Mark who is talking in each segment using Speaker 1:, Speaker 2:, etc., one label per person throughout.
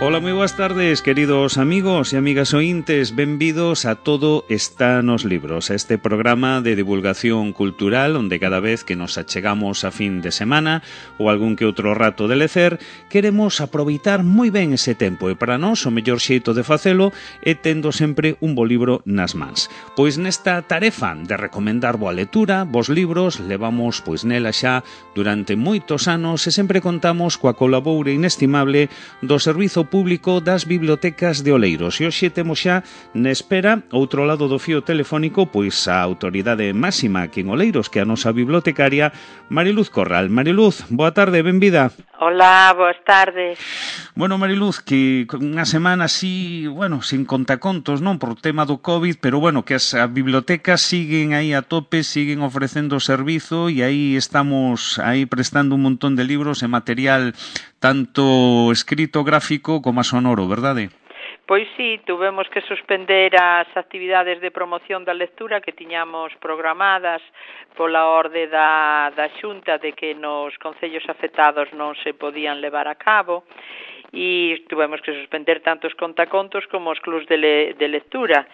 Speaker 1: Ola, moi boas tardes, queridos amigos e amigas ointes. Benvidos a Todo está nos libros, a este programa de divulgación cultural onde cada vez que nos achegamos a fin de semana ou algún que outro rato de lecer, queremos aproveitar moi ben ese tempo e para nós o mellor xeito de facelo é tendo sempre un bo libro nas mans. Pois nesta tarefa de recomendar boa lectura, bons libros, levamos pois nela xa durante moitos anos e sempre contamos coa colaboración inestimable do Servizo Público das Bibliotecas de Oleiros. E hoxe temos xa na espera, outro lado do fío telefónico, pois a autoridade máxima aquí en Oleiros, que é a nosa bibliotecaria, Mariluz Corral. Mariluz, boa tarde, benvida.
Speaker 2: Hola, boas tardes.
Speaker 1: Bueno, Mariluz, que unha semana así, bueno, sin contacontos, non, por tema do COVID, pero bueno, que as bibliotecas siguen aí a tope, siguen ofrecendo servizo e aí estamos aí prestando un montón de libros e material tanto escrito, gráfico como a sonoro, verdade?
Speaker 2: Pois sí, tuvemos que suspender as actividades de promoción da lectura que tiñamos programadas pola orde da Xunta de que nos concellos afectados non se podían levar a cabo e tuvemos que suspender tanto os contacontos como os clubs de lectura.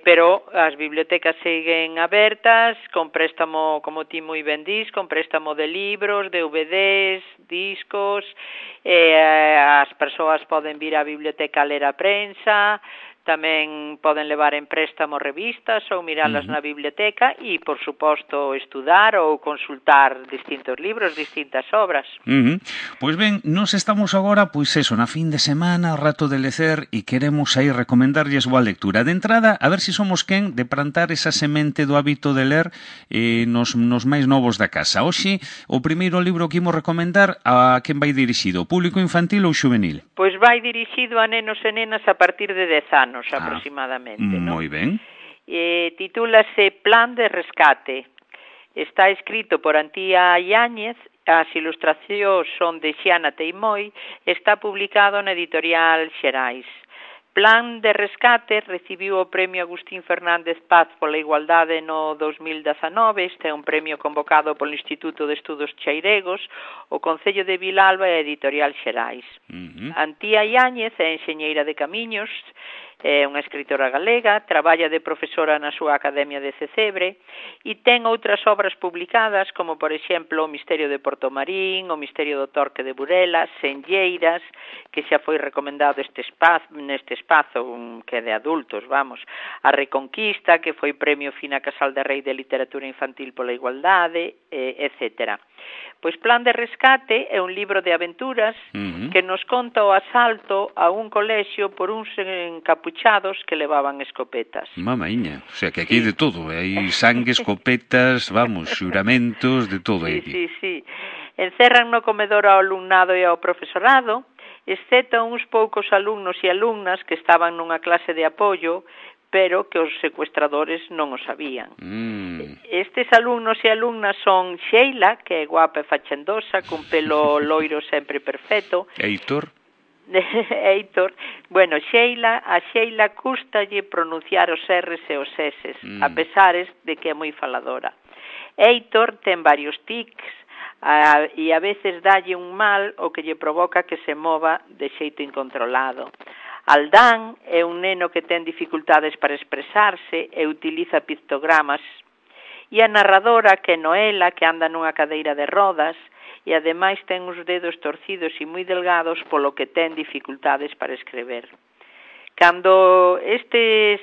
Speaker 2: Pero as bibliotecas seguen abertas con préstamo, como ti moi ben dis, con préstamo de libros, DVDs, discos, as persoas poden vir á biblioteca a ler a prensa, tamén poden levar en préstamo revistas ou miralas na biblioteca e, por suposto, estudar ou consultar distintos libros, distintas obras.
Speaker 1: Pois ben, nos estamos agora, pois eso, na fin de semana, rato de lecer e queremos aí recomendarlles boa lectura. De entrada, a ver se somos quen de plantar esa semente do hábito de ler nos máis novos da casa. Hoxe, o primeiro libro que imos recomendar, a quen vai dirixido? Público infantil ou xuvenil?
Speaker 2: Pois vai dirixido a nenos e nenas a partir de 10 anos. Aproximadamente, ¿no?
Speaker 1: Moi ben.
Speaker 2: Titúlase Plan de Rescate. Está escrito por Antía Yáñez, as ilustracións son de Xiana Teimoi, está publicado na editorial Xerais. Plan de Rescate recibiu o premio Agustín Fernández Paz pola Igualdade no 2019, este é un premio convocado polo Instituto de Estudos Cheiregos, o Concello de Vilalba e a editorial Xerais. Antía Yáñez é enxeñeira de camiños, é unha escritora galega, traballa de profesora na súa Academia de Cecebre e ten outras obras publicadas como, por exemplo, O Misterio de Portomarín, O Misterio do Torque de Burela, Senlleiras, que xa foi recomendado neste espazo que é de adultos, vamos, A Reconquista, que foi premio Fina Casal de Rei de Literatura Infantil pola Igualdade, etc. Pois Plan de Rescate é un libro de aventuras que nos conta o asalto a un colexio por uns encapuchados que levaban escopetas.
Speaker 1: Mamaíña, o sea que aquí hai de todo, hai sangue, escopetas, vamos, xuramentos, de todo aí.
Speaker 2: Sí. Encerran no comedor ao alumnado e ao profesorado, excepto uns poucos alumnos e alumnas que estaban nunha clase de apoio, pero que os secuestradores non o sabían. Estes alumnos e alumnas son Sheila, que é guapa e fachendosa, cun pelo loiro sempre perfecto.
Speaker 1: Heitor.
Speaker 2: Bueno, a Sheila cústalle pronunciar os R's e os S's, a pesares de que é moi faladora. Heitor ten varios tics e a veces dalle un mal o que lle provoca que se mova de xeito incontrolado. Aldán é un neno que ten dificultades para expresarse e utiliza pictogramas. E a narradora, que é Noela, que anda nunha cadeira de rodas e ademais ten uns dedos torcidos e moi delgados polo que ten dificultades para escrever. Cando estes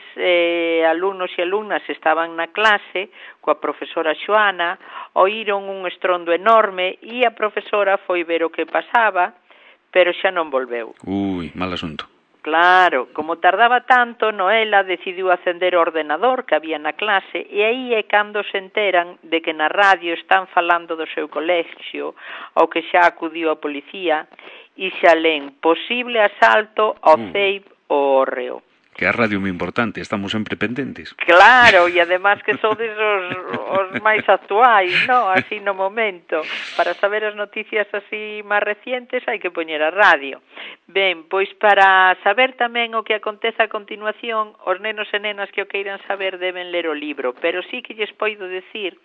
Speaker 2: alumnos e alumnas estaban na clase coa profesora Xoana, oíron un estrondo enorme e a profesora foi ver o que pasaba, pero xa non volveu.
Speaker 1: Mal asunto.
Speaker 2: Claro, como tardaba tanto, Noela decidiu acender o ordenador que había na clase e aí é cando se enteran de que na radio están falando do seu colexio, ao que xa acudiu a policía, e xa len posible asalto ao CEIP o Hórreo.
Speaker 1: Que a radio é moi importante, estamos sempre pendentes.
Speaker 2: Claro, e además que sodes os máis actuais, no? Así no momento. Para saber as noticias así máis recientes hai que poñer a radio. Ben, pois para saber tamén o que acontece a continuación, os nenos e nenas que o queiran saber deben ler o libro, pero sí que lles poido decir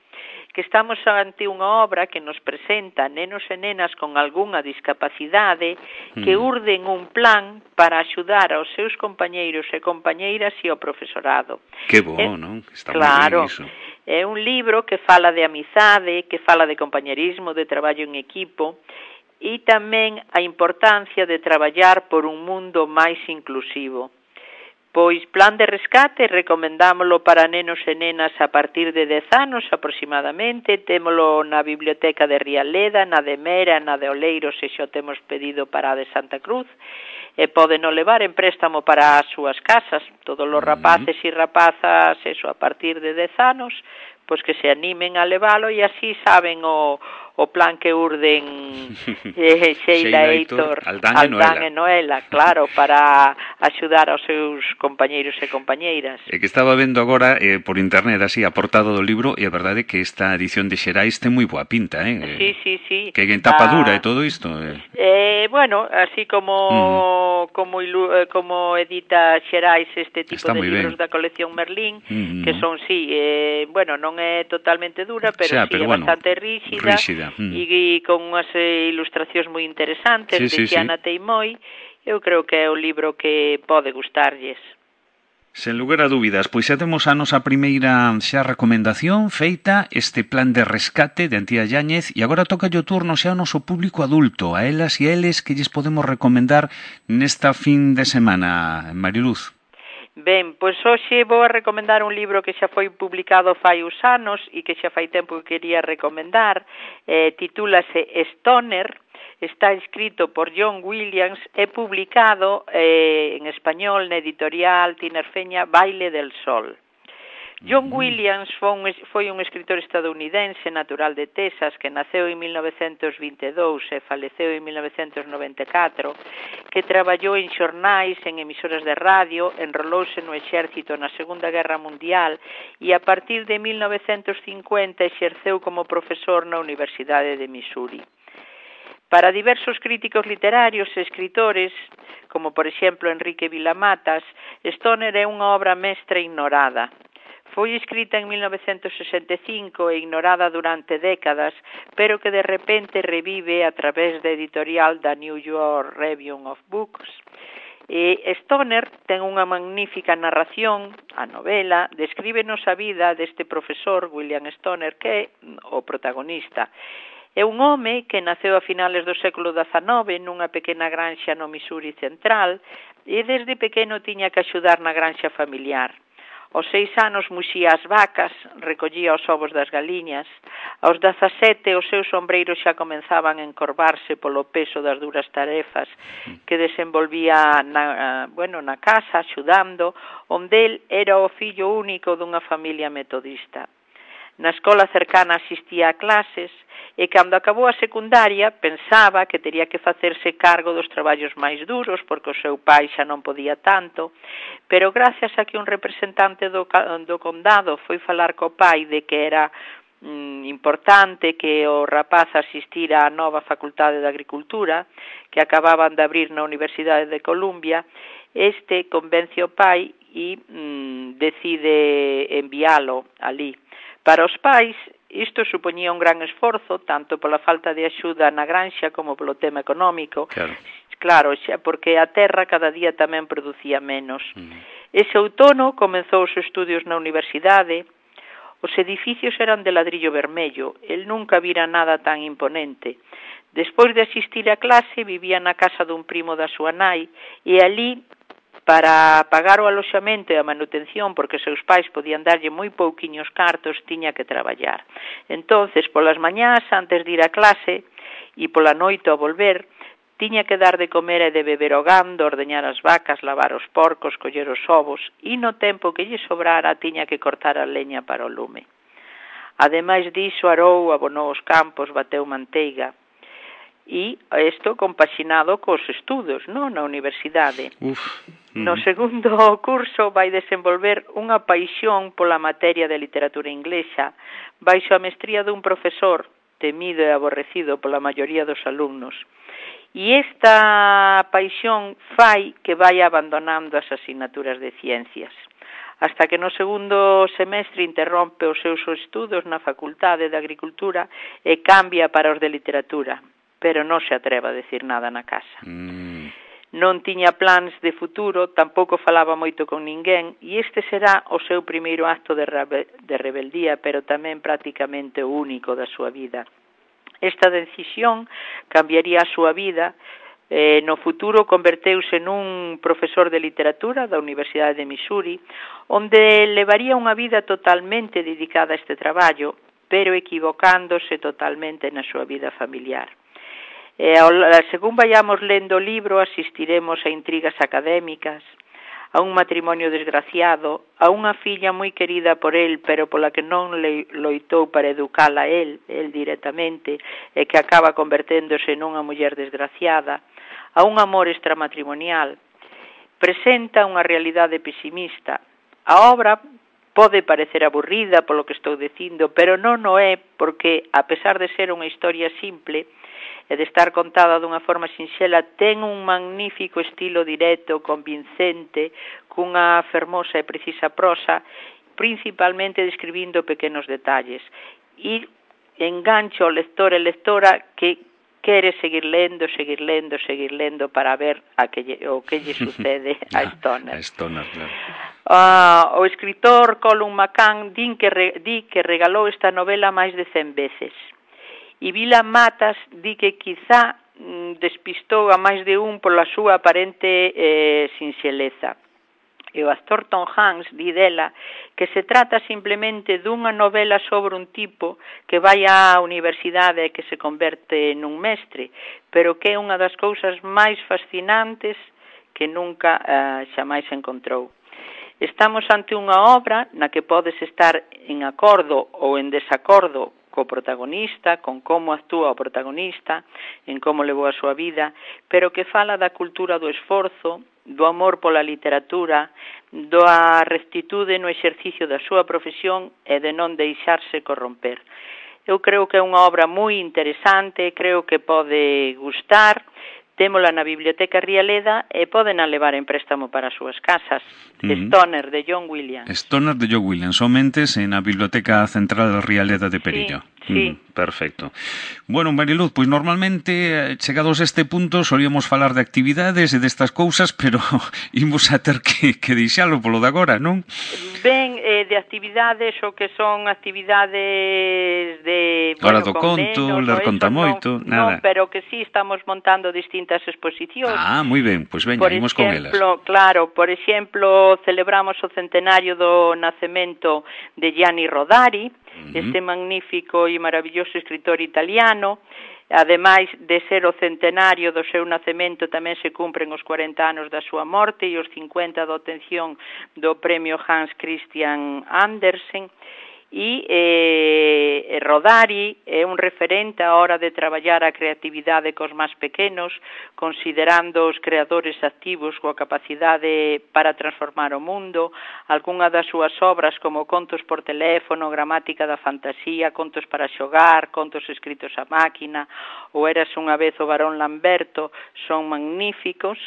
Speaker 2: que estamos ante unha obra que nos presenta nenos e nenas con algunha discapacidade que urden un plan para axudar aos seus compañeiros e compañeiras e ao profesorado.
Speaker 1: Que bo, non? Está
Speaker 2: claro,
Speaker 1: moi ben iso.
Speaker 2: É un libro que fala de amizade, que fala de compañerismo, de traballo en equipo, e tamén a importancia de traballar por un mundo máis inclusivo. Pois Plan de Rescate recomendámolo para nenos e nenas a partir de 10 anos aproximadamente, témolo na Biblioteca de Rialeda, na de Mera, na de Oleiros, e xo temos pedido para a de Santa Cruz, e pódeno levar en préstamo para as súas casas. Todos os rapaces e rapazas, eso, a partir de 10 anos, pois que se animen a levalo e así saben o plan que urden Sheila, Heitor, Aldán e Noela, claro, para axudar aos seus compañeiros e compañeiras.
Speaker 1: É que estaba vendo agora por internet así a portada do libro e a verdade é que esta edición de Xerais ten moi boa pinta,
Speaker 2: Sí.
Speaker 1: Que en tapa dura e todo isto.
Speaker 2: Bueno, así como edita Xerais este tipo
Speaker 1: está
Speaker 2: de libros da colección Merlín, que son, bueno, non é totalmente dura, pero é bastante rígida. E con unhas ilustracións moi interesantes de Xiana Teimoi. Eu creo que é un libro que pode gustarlles.
Speaker 1: Sen lugar a dúbidas, pois xa temos a nosa primeira xa recomendación feita, este Plan de Rescate de Antía Yáñez, e agora toca o turno xa ao noso público adulto, a elas e a eles que lles podemos recomendar nesta fin de semana, Mariluz.
Speaker 2: Ben, pois hoxe vou a recomendar un libro que xa foi publicado fai uns anos e que xa fai tempo que quería recomendar. Titúlase Stoner, está escrito por John Williams e publicado en español na editorial Tinerfeña Baile del Sol. John Williams foi un escritor estadounidense natural de Texas que naceu en 1922 e faleceu en 1994, que traballou en xornais, en emisoras de radio, enrolouse no exército na Segunda Guerra Mundial e a partir de 1950 exerceu como profesor na Universidade de Missouri. Para diversos críticos literarios e escritores, como por exemplo Enrique Vilamatas, Stoner é unha obra mestra ignorada. Foi escrita en 1965 e ignorada durante décadas, pero que de repente revive a través da editorial da New York Review of Books. Stoner ten unha magnífica narración, a novela, descríbenos a vida deste profesor, William Stoner, que é o protagonista. É un home que naceu a finales do século XIX nunha pequena granxa no Missouri central e desde pequeno tiña que axudar na granxa familiar. Aos 6 anos muxía as vacas, recollía os ovos das galiñas. Aos 17 os seus ombreiros xa comenzaban a encorvarse polo peso das duras tarefas que desenvolvía na casa, axudando, onde el era o fillo único dunha familia metodista. Na escola cercana asistía a clases e cando acabou a secundaria pensaba que tería que facerse cargo dos traballos máis duros porque o seu pai xa non podía tanto, pero gracias a que un representante do condado foi falar co pai de que era importante que o rapaz asistira á nova Facultade de Agricultura que acababan de abrir na Universidade de Columbia, este convence o pai e decide enviálo ali. Para os pais, isto supoñía un gran esforzo, tanto pola falta de axuda na granxa como polo tema económico. Claro, xa porque a terra cada día tamén producía menos. Ese outono comezou os estudios na universidade. Os edificios eran de ladrillo vermello. El nunca vira nada tan imponente. Despois de asistir a clase, vivía na casa dun primo da súa nai e ali, para pagar o aloxamento e a manutención, porque seus pais podían darlle moi pouquiños cartos, tiña que traballar. Entonces, polas mañás, antes de ir a clase, e pola noite ao volver, tiña que dar de comer e de beber ao gando, ordeñar as vacas, lavar os porcos, coller os ovos, e no tempo que lle sobrara, tiña que cortar a leña para o lume. Ademais diso, arou, abonou os campos, bateu manteiga, e isto compaxinado cos estudos, non, na universidade. No segundo curso vai desenvolver unha paixón pola materia de literatura inglesa, baixo a mestría dun profesor temido e aborrecido pola maioría dos alumnos. E esta paixón fai que vai abandonando as asignaturas de ciencias. hasta que no segundo semestre interrompe os seus estudos na Facultade de Agricultura e cambia para os de Literatura, pero non se atreva a decir nada na casa. Non tiña plans de futuro, tampouco falaba moito con ninguén, e este será o seu primeiro acto de rebeldía, pero tamén prácticamente o único da súa vida. Esta decisión cambiaría a súa vida. No futuro converteuse nun profesor de literatura da Universidade de Missouri, onde levaría unha vida totalmente dedicada a este traballo, pero equivocándose totalmente na súa vida familiar. Según vayamos lendo o libro, asistiremos a intrigas académicas, a un matrimonio desgraciado, a unha filla moi querida por él, pero pola que non loitou para educala él directamente, e que acaba converténdose nunha muller desgraciada, a un amor extramatrimonial. Presenta unha realidade pesimista. A obra pode parecer aburrida polo que estou dicindo, pero non o é, porque, a pesar de ser unha historia simple e de estar contada dunha forma sinxela, ten un magnífico estilo directo, convincente, cunha fermosa e precisa prosa, principalmente describindo pequenos detalles. E engancha o lector e lectora que quere seguir lendo para ver o que lle sucede a Stoner.
Speaker 1: A Stoner, claro.
Speaker 2: O escritor Colum McCann di que regalou esta novela máis de 100 veces. E Vila Matas di que quizá despistou a máis de un pola súa aparente sinxeleza. E o actor Tom Hanks di dela que se trata simplemente dunha novela sobre un tipo que vai á universidade e que se converte nun mestre, pero que é unha das cousas máis fascinantes que nunca xamais encontrou. Estamos ante unha obra na que podes estar en acordo ou en desacordo co protagonista, con como actúa o protagonista, en como levou a súa vida, pero que fala da cultura do esforzo, do amor pola literatura, da rectitude no exercicio da súa profesión e de non deixarse corromper. Eu creo que é unha obra moi interesante, creo que pode gustar. Témola na Biblioteca Rialeda e poden a levar en préstamo para as súas casas. Stoner, de John Williams.
Speaker 1: Stoner, de John Williams, somente na Biblioteca Central Rialeda de Perillo.
Speaker 2: Sí.
Speaker 1: Perfecto. Bueno, Mariluz, pois normalmente, chegados a este punto, solíamos falar de actividades e destas cousas, pero imos a ter que deixalo polo de agora, non?
Speaker 2: Ben, de actividades, o que son actividades de...
Speaker 1: Hora do conto, ler conta moito, nada.
Speaker 2: Non, pero que sí estamos montando distintas exposicións.
Speaker 1: Moi ben, pois veña, imos con elas.
Speaker 2: Claro, por exemplo, celebramos o centenario do nacemento de Gianni Rodari, este magnífico e maravilloso escritor italiano. Ademais de ser o centenario do seu nacemento, tamén se cumpren os 40 anos da súa morte e os 50 da obtención do premio Hans Christian Andersen. E Rodari é un referente á hora de traballar a creatividade cos máis pequenos, considerando os creadores activos coa capacidade para transformar o mundo. Algunha das súas obras, como Contos por teléfono, Gramática da fantasía, Contos para xogar, Contos escritos a máquina ou Eras unha vez o barón Lamberto, son magníficos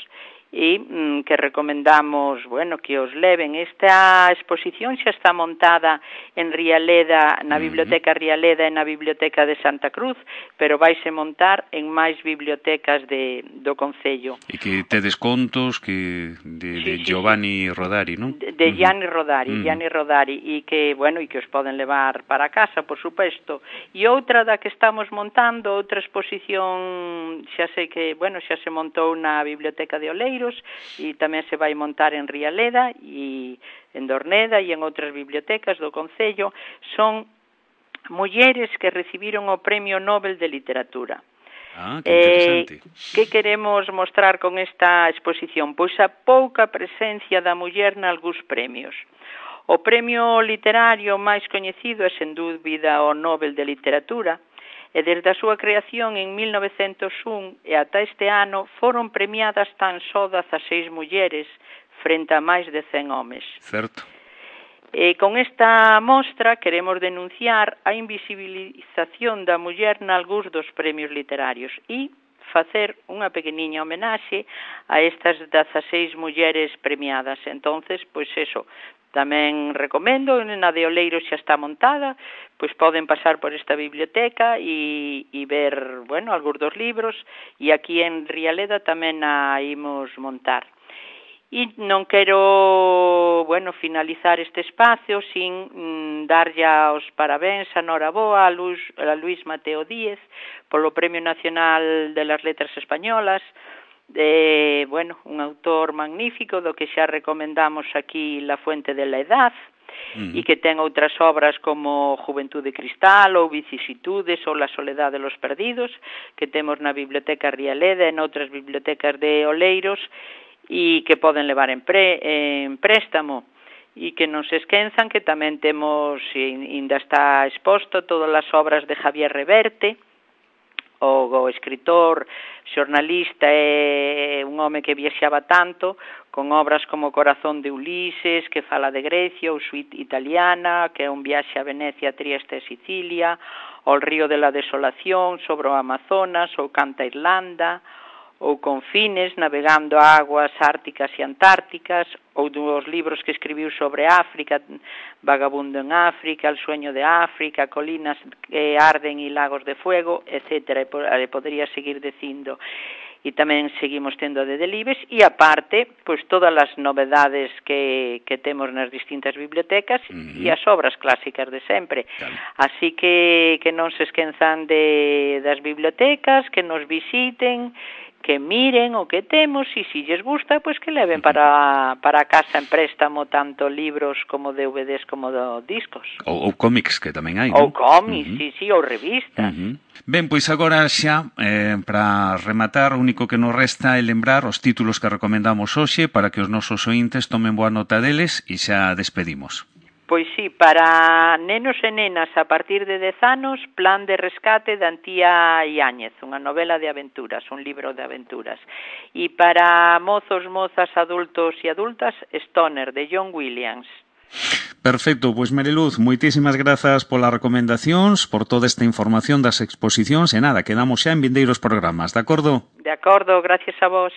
Speaker 2: e que recomendamos, que os leven. Esta exposición xa está montada en Rialeda, na Biblioteca Rialeda e na Biblioteca de Santa Cruz, pero vaise montar en máis bibliotecas do Concello.
Speaker 1: E que tedes contos de Giovanni Rodari, non?
Speaker 2: De Gianni Rodari, e que, e que os poden levar para casa, por suposto. E outra da que estamos montando, outra exposición, xa sei que, xa se montou na Biblioteca de Oleiros, e tamén se vai montar en Rialeda e en Dorneda e en outras bibliotecas do Concello. Son mulleres que recibiron o Premio Nobel de Literatura.
Speaker 1: Que interesante.
Speaker 2: Que queremos mostrar con esta exposición? Pois a pouca presencia da muller nalgúns premios. O premio literario máis coñecido é, sen dúbida, o Nobel de Literatura, e desde a súa creación en 1901 e ata este ano foron premiadas tan só 16 mulleres frente a máis de 100 homes.
Speaker 1: Certo.
Speaker 2: E con esta mostra queremos denunciar a invisibilización da muller nalgúns dos premios literarios e facer unha pequeniña homenaxe a estas 16 mulleres premiadas. Entonces, pois eso, tamén recomendo, na de Oleiros xa está montada, pois poden pasar por esta biblioteca e ver, bueno, algúns dos libros, e aquí en Rialeda tamén a imos montar. E non quero, bueno, finalizar este espacio sin darlle os parabéns a Noraboa a Luis Mateo Díez polo Premio Nacional de las Letras Españolas, bueno, un autor magnífico do que xa recomendamos aquí La Fuente de la Edad, e que ten outras obras como Juventude Cristal ou Vicisitudes ou La Soledad de los Perdidos, que temos na Biblioteca Rialeda e noutras bibliotecas de Oleiros, e que poden levar en préstamo, e que non se esquenzan que tamén temos, ainda está exposto, todas as obras de Javier Reverte, o escritor, xornalista e un home que viaxaba tanto, con obras como Corazón de Ulises, que fala de Grecia, ou Suite Italiana, que é un viaxe a Venecia, Trieste e Sicilia, ou El río de la desolación, sobre o Amazonas, ou Canta Irlanda, ou Confines, navegando a aguas árticas e antárticas, ou dos libros que escribiu sobre África, Vagabundo en África, El sueño de África, Colinas que arden e lagos de fuego, etc. E podría seguir dicindo. E tamén seguimos tendo de Delibes, e aparte, pois todas as novedades que temos nas distintas bibliotecas e as obras clásicas de sempre. Así que non se esquenzan das bibliotecas, que nos visiten, que miren o que temos, e se lles gusta, pois que leven para a casa en préstamo tanto libros como DVDs como discos.
Speaker 1: Ou cómics, que tamén hai,
Speaker 2: Ou
Speaker 1: non?
Speaker 2: cómics, sí, ou revistas.
Speaker 1: Ben, pois agora xa, para rematar, o único que nos resta é lembrar os títulos que recomendamos hoxe para que os nosos ointes tomen boa nota deles e xa despedimos.
Speaker 2: Pois sí, para nenos e nenas a partir de 10 anos, Plan de rescate de Antía Iáñez, unha novela de aventuras, un libro de aventuras. E para mozos, mozas, adultos e adultas, Stoner, de John Williams.
Speaker 1: Perfecto, pois Mariluz, moitísimas grazas polas recomendacións, por toda esta información das exposicións, e nada, quedamos xa en vindeiros programas, de acordo?
Speaker 2: De acordo, gracias a vos.